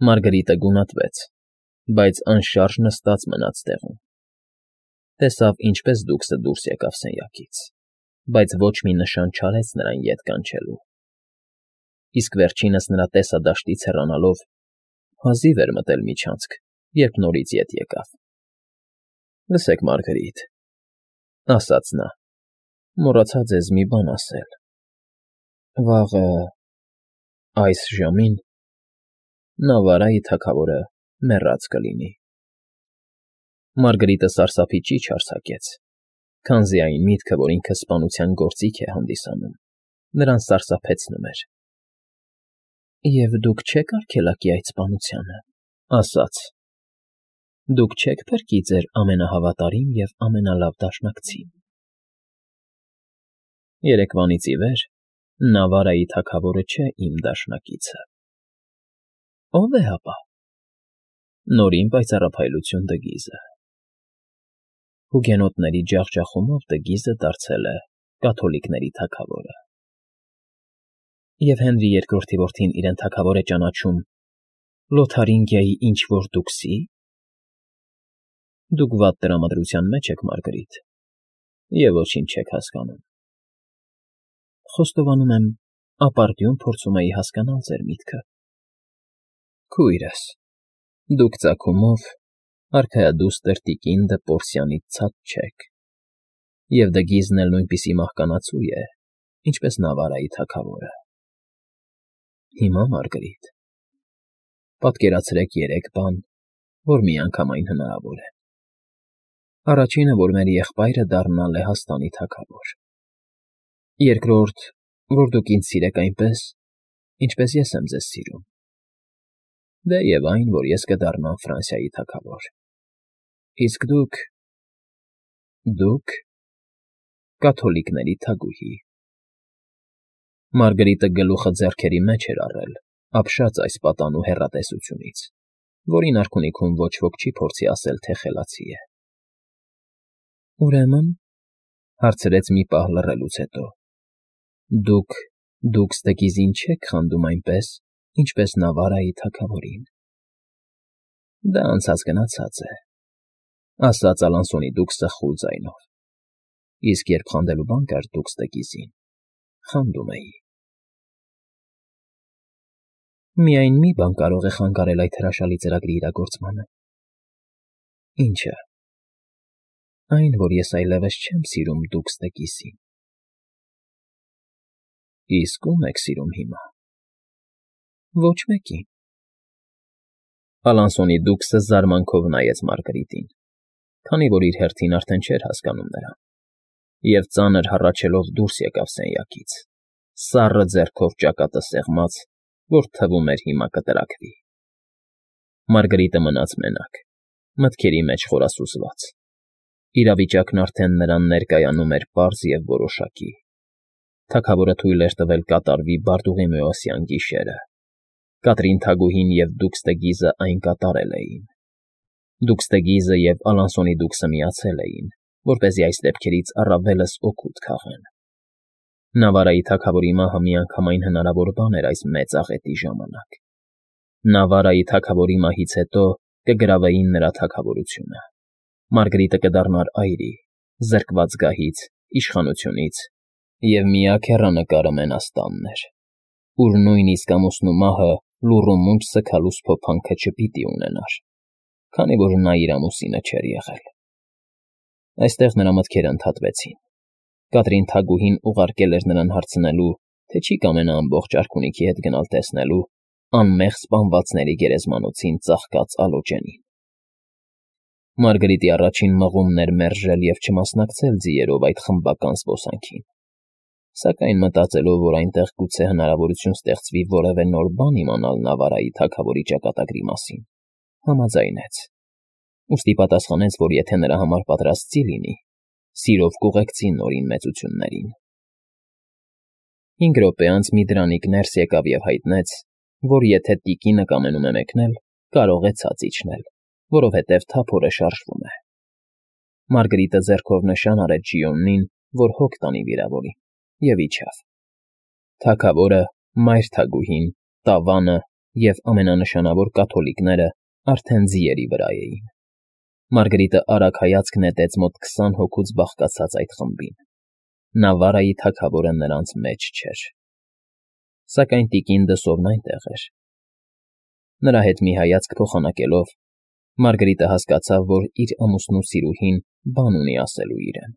Մարգարիտը գունատվեց, բայց անշարժ նստած մնաց տեղում. տեսավ, ինչպես դուքսը դուրս եկավ սենյակից, բայց ոչ մի նշան չարեց նրան ետ կանչելու, իսկ վերջինս նրա տեսադաշտից հեռանալով հազիվ էր մտել միջանցք, երբ նորից ետ եկավ։ ֊ Լսեք, Մարգարիտ,֊ ասաց նա,֊ մոռացա ձեզ մի բան ասել. վաղը այս ժամին Նավարայի թագավորը մեռած կլինի։ Մարգարիտը սարսափի ճիչ արձակեց, քանզի այն միտքը, որ ինքը սպանության գործիք է հանդիսանում, նրան սարսափեցնում էր։ ֊ Եվ դուք չեք արգելակի այդ սպանությանը,֊ ասաց,֊ դուք չեք փրկի ձեր ամենահավատարիմ և ամենալավ դաշնակցին։ Երեկվանից ի վեր Նավարայի թագավորը չէ իմ դաշնակիցը։ Ո՞վ է ապա։ Նորին պայծառափայլություն Դգիզը։ Հուգենոտների ջախջախումով Դգիզը դարձել է կաթոլիկների թագավորը։ Եվ Հենրի II որդին իրեն թագավոր է ճանաչում Լոթարինգիայի ինչ-որ դուքսի։ Դուք վատ տրամադրության մեջ եք, Մարգարիտ, և ոչինչ չեք հասկանում։ Խոստովանում եմ, ապարդյուն փորձում էի հասկանալ ձեր միտքը։ Քույրս, դուք ծագումով արքայադուստր տիկին դը Պորսիանից ցած չեք, և Դգիզն էլ նույնպիսի մահկանացու է, ինչպես Նավարայի թագավորը։ Հիմա, Մարգարիտ, պատկերացրեք երեք բան, որ միանգամայն հնարավոր է։ Առաջինը, որ մեր եղբայրը դառնա Լեհաստանի թագավոր։ Երկրորդ, որ դուք ինձ սիրեք այնպես, ինչպես ես եմ ձեզ սիրում։ Դե և այն, որ ես կդառնամ Ֆրանսիայի թագավոր։ Իսկ դուք կաթոլիկների թագուհի։ Մարգարիտը գլուխը ձեռքերի մեջ էր առել, ապշած այս պատանու հեռատեսությունից, որին արքունիքում ոչ ոք չի փորձի ասել, թե խելացի է։ Ուրեմն,֊ հարցրեց մի պահ լռելուց հետո,֊ դուք Դգիզին չեք խանդում այնպես, ինչպես Նավարայի թագավորին։ Դա անցած գնացած է,֊ ասաց Ալանսոնի դուքսը խուլ ձայնով, իսկ երբ խանդելու բան կար դուքս Դգիզին, խանդում էի։ Միայն մի բան կարող է խանգարել այդ հրաշալի ծրագրի իրագործմանը։ Ի՞նչը։ Այն, որ ես այլևս չեմ սիրում դուքս Դգիզին։ Իսկ ո՞ւմ եք սիրում հիմա։ Ոչ մեկին։ Ալանսոնի դուքսը զարմանքով նայեց Մարգարիտին, քանի որ իր հերթին արդեն չէր հասկանում նրան, և ծանր հառաչելով դուրս եկավ սենյակից, սառը ձեռքով ճակատը սեղմած, որ թվում էր հիմա կտրաքվի։ Մարգարիտը մնաց մենակ, մտքերի մեջ խորասուզված։ Իրավիճակն արդեն նրան ներկայանում էր պարզ և որոշակի։ Թագավորը թույլ էր տվել կատարվի Բարդուղիմեոսյան գիշերը։ Կատրին թագուհին և դուքս Դգիզը այն կատարել էին։ Դուքս Դգիզը և Ալանսոնի դուքսը միացել էին, որպեսզի այս դեպքերից առավելս օգուտ քաղեն։ Նավարայի թագավորի մահը միանգամայն հնարավոր բան էր այս մեծ աղետի ժամանակ։ Նավարայի թագավորի մահից հետո կգրավեին նրա թագավորությունը։ Մարգարիտը կդառնար այրի, զրկված գահից, իշխանությունից, և միակ հեռանկարը Մենաստանն էր, ուր նույնիսկ ամուսնու մահը լուռ ու մունջ սգալու սփոփանքը չպիտի ունենար, քանի որ նա իր ամուսինը չէր եղել։ Այստեղ նրա մտքերը ընդհատվեցին։ Կատրին թագուհին ուղարկել էր նրան հարցնելու, թե չի կամենա ամբողջ արքունիքի հետ գնալ տեսնելու անմեղ սպանվածների գերեզմանոցին ծաղկած Ալոջենին։ Մարգարիտի առաջին մղումն էր մերժել և չմասնակցել ձիերով այդ խմբական զբոսանքին, սակայն մտածելով, որ այնտեղ գուցե հնարավորություն ստեղծվի որևէ նոր բան իմանալ Նավարայի թագավորի ճակատագրի մասին, համաձայնեց, ուստի պատասխանեց, որ եթե նրա համար պատրաստ ծի լինի, սիրով կուղեկցի նորին մեծություններին։ 5 րոպե անց մի դրանիկ ներս եկավ և հայտնեց, որ եթե տիկինը կամենում է մեկնել, կարող է ցած իջնել, որովհետև թափորը շարժվում է։ Մարգարիտը ձեռքով նշան արեց Ժիոնին, որ հոգ տանի վիրավորին, և իջավ։ Թագավորը, մայր թագուհին, տավանը և ամենանշանավոր կաթոլիկները արդեն ձիերի վրա էին։ Մարգարիտը արագ հայացք նետեց մոտ 20 հոգուց բաղկացած այդ խմբին։ Նավարայի թագավորը նրանց մեջ չէր։ Սակայն տիկին Դսովն այնտեղ էր։ Նրա հետ մի հայացք փոխանակելով, Մարգարիտը հասկացավ, որ իր ամուսնու սիրուհին բան ունի ասելու իրեն։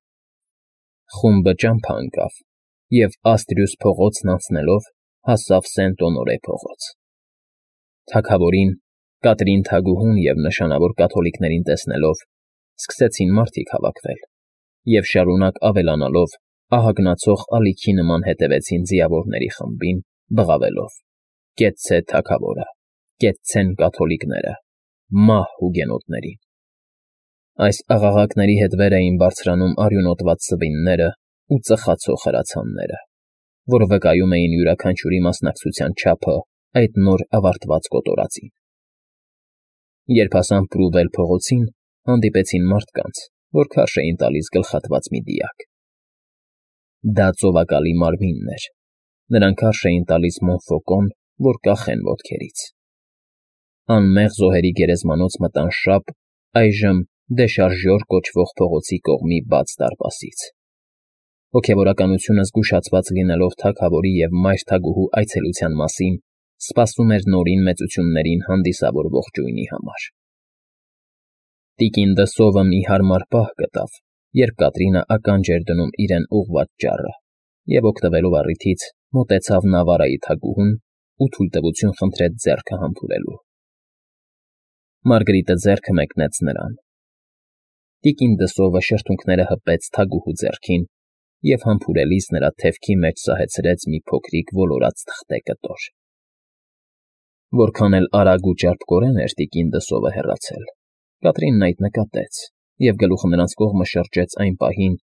Խումբը ճամփա ընկավ և Աստրյուս փողոցն անցնելով հասավ Սենտ֊Օնորե փողոց։ Թագավորին, Կատրին թագուհուն և նշանավոր կաթոլիկներին տեսնելով, սկսեցին մարդիկ հավաքվել և շարունակ ավելանալով ահագնացող ալիքի նման հետևեցին ձիավորների խմբին, բղավելով. «Կեցցե թագավորը, կեցցեն կաթոլիկները, մահ հուգենոտներին»։ Այս աղաղակների հետ վեր էին բարձրանում արյունոտված սվինները ու ծխացող հրացանները, որ վկայում էին յուրաքանչյուրի մասնակցության չափը այդ նոր ավարտված կոտորածին։ Երբ հասան Պրուվել փողոցին, հանդիպեցին մարդկանց, որ քարշ էին տալիս գլխատված մի դիակ։ Դա ծովակալի մարմինն էր։ Նրանք քարշ էին տալիս Մոնֆոկոն, որ կախեն ոտքերից։ Անմեղ զոհերի գերեզմանոց մտան շապ, այժմ Դեշարժյոր կոչվող փողոցի կողմի բաց դարպասից։ Հոգևորականությունը զգուշացված լինելով թագավորի և մայր թագուհու այցելության մասին, սպասում էր նորին մեծություններին հանդիսավոր ողջույնի համար։ Տիկին Դսովը մի հարմար պահ գտավ, երբ Կատրինը ականջ էր դնում իրեն ուղղված ճառը և, օգտվելով առիթից, մոտեցավ Նավարայի թագուհուն ու թույլտվություն խնդրեց ձեռքը համբուրելու։ Մարգարիտը ձեռքը մեկնեց նրան։ Տիկին Դսովը շրթունքները հպեց թագուհու ձեռքին և համբուրելիս նրա թևքի մեջ սահեցրեց մի փոքրիկ ոլորած թղթե կտոր։ Որքան էլ արագ ու ճարպկորեն էր տիկին Դսովը հեռացել, Կատրինն այդ նկատեց և գլուխը նրանց կողմը շրջեց այն պահին,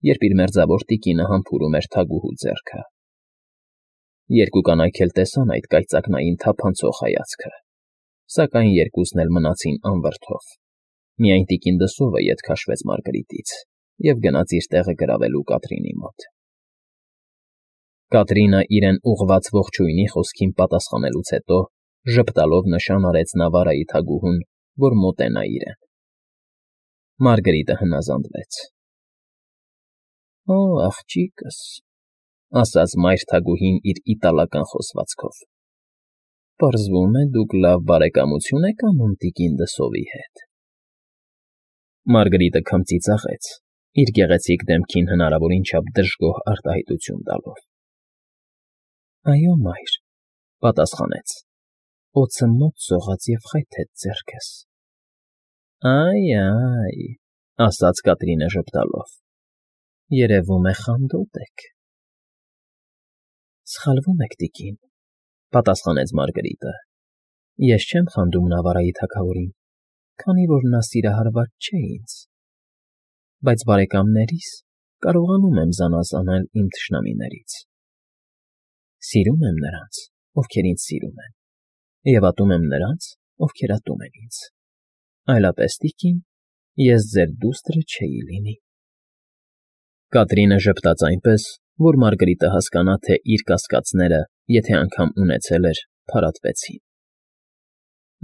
երբ իր մերձավոր տիկինը համբուրում էր թագուհու ձեռքը։ Երկու կանայք էլ տեսան այդ կայծակնային թափանցող հայացքը, սակայն երկուսն էլ մնացին անվրդով։ Միայն տիկին Դսովը ետ քաշվեց Մարգարիտից և գնաց իր տեղը գրավելու Կատրինի մոտ։ Կատրինը իրեն ուղղված ողջույնի խոսքին պատասխանելուց հետո ժպտալով նշան արեց Նավարայի թագուհուն, որ մոտենա իրեն։ Մարգարիտը հնազանդվեց։ «Օ, աղջիկս», ասաց մայր թագուհին իր իտալական խոսվածքով, «պարզվում է, դուք լավ բարեկամություն եք անում տիկին Դսովի հետ»։ Մարգարիտը քմծի ծաղեց, իր գեղեցիկ դեմքին հնարավորին չափ դժգոհ արտահայտություն տալով։ «Այո, մայր», պատասխանեց, «օձը մոտ սողաց և խայթեց ձեռքս»։ «Այ», ասաց Կատրինը ժպտալով, «երևում է խանդոտ եք»։ «Սխալվում եք, տիկին», պատասխանեց Մարգարիտը, «ես չեմ խանդում Նավարայի թագավորին, քանի որ նա սիրահարված չէ ինձ, բայց բարեկամներիս կարողանում եմ զանազանել իմ թշնամիներից։ Սիրում եմ նրանց, ովքեր ինձ սիրում են, և ատում եմ նրանց, ովքեր ատում են ինձ։ Այլապես, տիկին, ես ձեր դուստրը չէի լինի»։ Կատրինը ժպտաց այնպես, որ Մարգարիտը հասկանա, թե իր կասկածները, եթե անգամ ունեցել էր, փարատվեցին։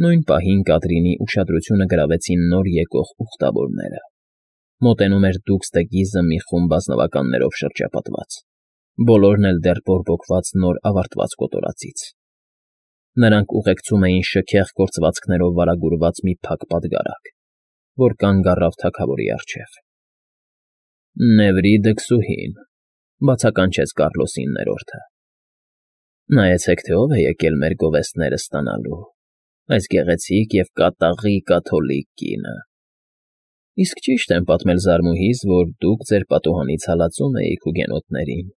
Նույն պահին Կատրինի ուշադրությունը գրավեցին նոր եկող ուխտավորները։ Մոտենում էր դուքս տգիզը մի խումբ ազնվականներով շրջապատված, բոլորն էլ դեռ բորբոքված նոր ավարտված կոտորածից։ Նրանք ուղեկցում էին շքեղ կործվածքներով վարագուրված մի փակ պատգարակ, որ կանգ առավ թագավորի առջև։ «Նևրի դքսուհին», բացականչեց Կառլոսի 9-րդը։ «Նայեցեք, թե ով է եկել մեր գովեստները ստանալու, այս գեղեցիկ և կատաղի կաթոլիկ կինը։ Իսկ ճիշտ եմ պատմել զարմուհիս, որ դուք ձեր պատուհանից հալածում էիք հուգենոտներին,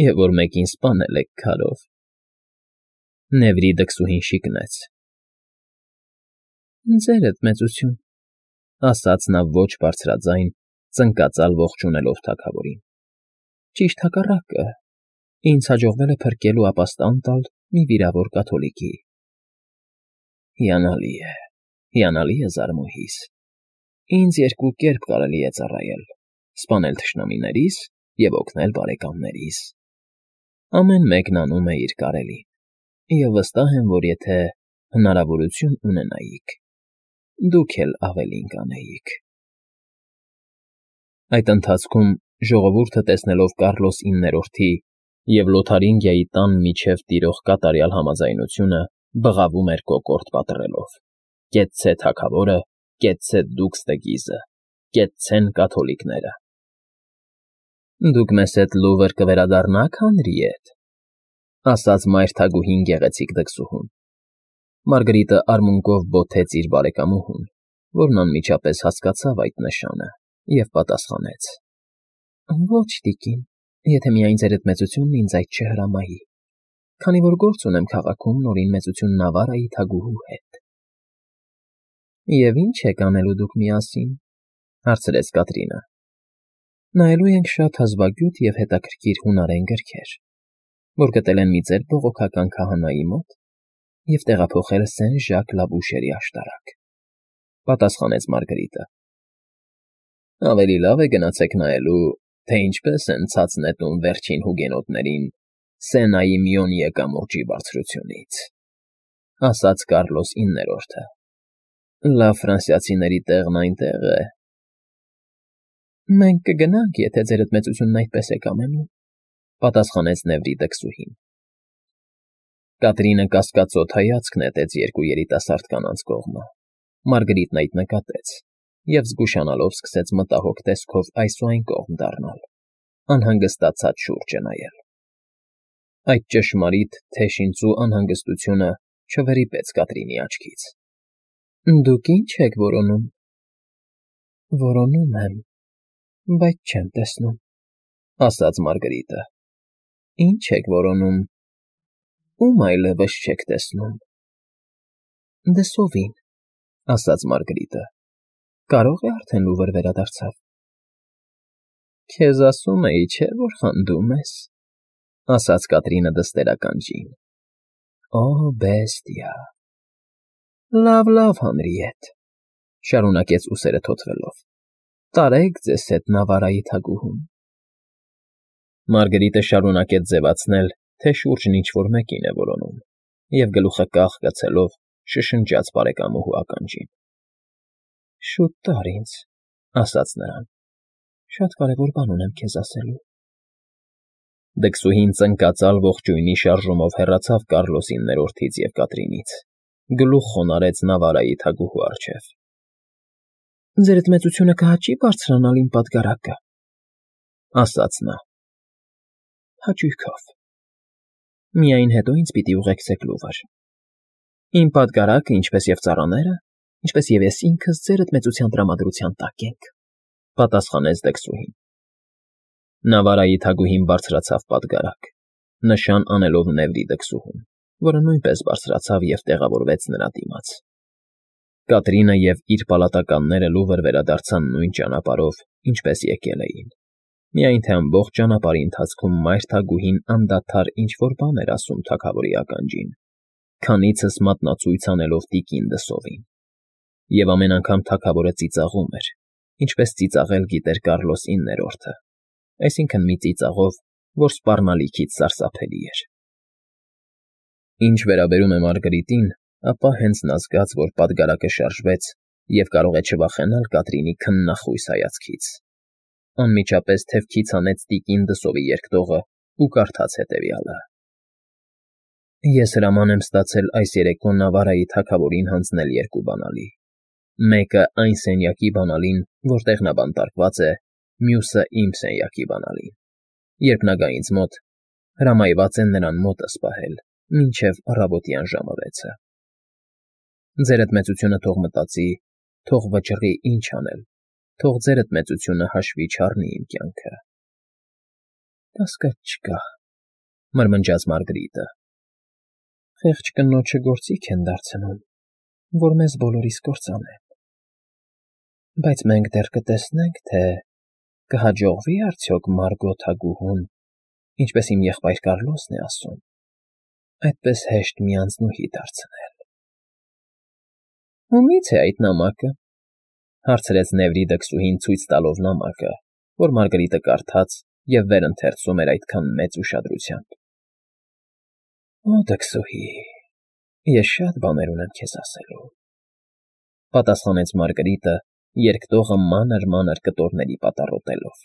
և որ մեկին սպանել եք քարով»։ Նևրի դքսուհին շիկնեց։ «Ձերդ մեծություն», ասաց նա ոչ բարձրաձայն, ծնկածալ ողջունելով թագավորին։ «Ճիշտ հակառակը, ինձ հաջողվել է փրկել ու ապաստան տալ մի վիրավոր կաթոլիկի»։ Հիանալի է, զարմուհիս, ինձ երկու կերպ կարելի է ծառայել. սպանել թշնամիներիս և օգնել բարեկամներիս։ Ամեն մեկն անում է իր կարելին։ Եվ վստահ եմ, որ եթե հնարավորություն ունենայիք, դուք էլ ավելին կանեիք։ Այդ ընթացքում ժողովուրդը տեսնելով Կառլոս 9-րդի և Լոթարինգիայի տան միջև տիրող կատարյալ համաձայնությունը բղավում էր կոկորդ պատռելով. «Կեցցե թագավորը, կեցցե դուքս տգիզը, կեցցեն կաթոլիկները»։ «Դուք մեզ հետ լուվր կվերադառնա՞ք, Հանրիետ», ասաց մայր թագուհին գեղեցիկ դքսուհուն։ Մարգարիտը արմունկով բոթեց իր բարեկամուհուն, որն անմիջապես հասկացավ այդ նշանը, և պատասխանեց. «Ոչ, տիկին, եթե միայն ձերդ մեծությունն ինձ այդ չհրամայի, քանի որ գործ ունեմ քաղաքում Նորին մեծություն Նավարայի թագուհու հետ»։ «Եվ ի՞նչ եք անելու դուք միասին», հարցրեց Կատրինը։ «Նայելու ենք շատ հազվագյուտ և հետաքրքիր հունարեն գրքեր, որ գտել են մի ձեր բողոքական քահանայի մոտ և տեղափոխել Սեն֊Ժակ Լաբուշերի աշտարակ», պատասխանեց Մարգարիտը։ «Ավելի լավ է գնացեք նայելու, թե ինչպես են ցած նետում վերջին հուգենոտներին Սենայի Մյոնիե կամուրջի բարձրությունից», ասաց Կառլոս 9-րդը։ «Լավ ֆրանսիացիների տեղն այնտեղ է»։ «Մենք կգնանք, եթե ձերդ մեծությունն այդպես է կամենում», պատասխանեց Նևրի դքսուհին։ Կատրինը կասկածոտ հայացք նետեց երկու երիտասարդ կանանց կողմը։ Մարգարիտն այդ նկատեց և զգուշանալով սկսեց մտահոգ տեսքով այս ու այն կողմ դառնալ, անհանգստացած շուրջը նայել։ Այդ ճշմարիտ թեժինծու անհանգստությունը չվրիպեց Կատրինի աչքից։ «Դուք ի՞նչ եք որոնում»։ «Որոնում եմ, բայց չեմ տեսնում», ասաց Մարգարիտը։ «Ի՞նչ եք որոնում, ում այլևս չեք տեսնում»։ «Դե սովին», ասաց Մարգարիտը։ «Կարող է արդեն լուվր վերադարձավ»։ «Քեզ ասում էի, չէ՞, որ խանդում ես», ասաց Կատրինը դստերական ձայն։ «Օ, բեստիա»։ «Լավ, լավ, Հանրիետ», շարունակեց ուսերը թոթվելով։ «Տարեք ձեզ հետ Նավարայի թագուհուն»։ Մարգարիտը շարունակեց ձևացնել, թե շուրջն ինչ֊որ մեկին է որոնում, և գլուխը կախ գցելով շշնջաց բարեկամուհու ականջին։ «Շուտ տար ինձ», ասաց նրան, «շատ կարևոր բան ունեմ քեզ ասելու»։ Դքսուհին ծնկածալ ողջույնի շարժումով հեռացավ Կառլոս 9-րդից և Կատրինից, գլուխ խոնարհեց Նավարայի թագուհու առջև։ «Ձերդ մեծությունը կհաճի՞ բարձրանալ իմ պատգարակը», ասաց նա։ «Հաճույքով։ Միայն հետո ինձ պիտի ուղեկցեք լուվր։ Իմ պատգարակը, ինչպես և ծառաները, ինչպես և ես ինքս ձերդ մեծության տրամադրության տակ ենք», պատասխանեց դքսուհին։ Նավարայի թագուհին բարձրացավ պատգարակ, նշան անելով Նևրի դքսուհուն, որը նույնպես բարձրացավ և տեղավորվեց նրա դիմաց։ Կատրինը և իր պալատականները լուվր վերադարձան նույն ճանապարհով, ինչպես եկել էին, միայն թե ամբողջ ճանապարհի ընթացքում մայր թագուհին անդադար ինչ֊որ բան էր ասում թագավորի ականջին, քանիցս մատնացույց անելով տիկին դսովին։ Եվ ամեն անգամ թագավորը ծիծաղում էր, ինչպես ծիծաղել գիտեր Կառլոս 9-րդը, այսինքն մի ծիծաղով, որ սպառնալիքից սարսափելի էր։ Ինչ վերաբերում է Մարգարիտին, ապա հենց նա զգաց, որ պատգարակը շարժվեց և կարող է չվախենալ Կատրինի քննախույս հայացքից, անմիջապես թևքից հանեց տիկին դսովի երկտողը ու կարդաց հետևյալը. «Ես հրաման եմ ստացել այս երեկո Նավարայի թագավորին հանձնել երկու բանալի. մեկը այն սենյակի բանալին, որտեղ նա բանտարկված է, մյուսը իմ սենյակի բանալին։ Երբ նա գա ինձ մոտ, հրամայված է նրան մոտս պահել մինչև առավոտյան ժամը 6-ը։ Ձերդ մեծությունը թող մտածի, թող վճռի ինչ անել, թող ձերդ մեծությունը հաշվի չառնի իմ կյանքը»։ «Կասկած չկա», մրմնջաց Մարգարիտը։ «Խեղճ կնոջը գործիք են դարձնում, որ մեզ բոլորիս կործանեն։ Բայց մենք դեռ կտեսնենք, թե կհաջողվի՞ արդյոք Մարգո թագուհուն, ինչպես իմ եղբայր Կառլոսն է ասում, այդպես հեշտ մի անձնուհի դարձնել»։ «Ումի՞ց է այդ նամակը», հարցրեց Նևրի դքսուհին ցույց տալով նամակը, որ Մարգարիտը կարդաց և վերընթերցում էր այդքան մեծ ուշադրությամբ։ Օ, դքսուհի, ես շատ բաներ ունեմ քեզ ասելու, ֊ պատասխանեց Մարգարիտը, երկտողը մանր֊մանր կտորների պատառոտելով։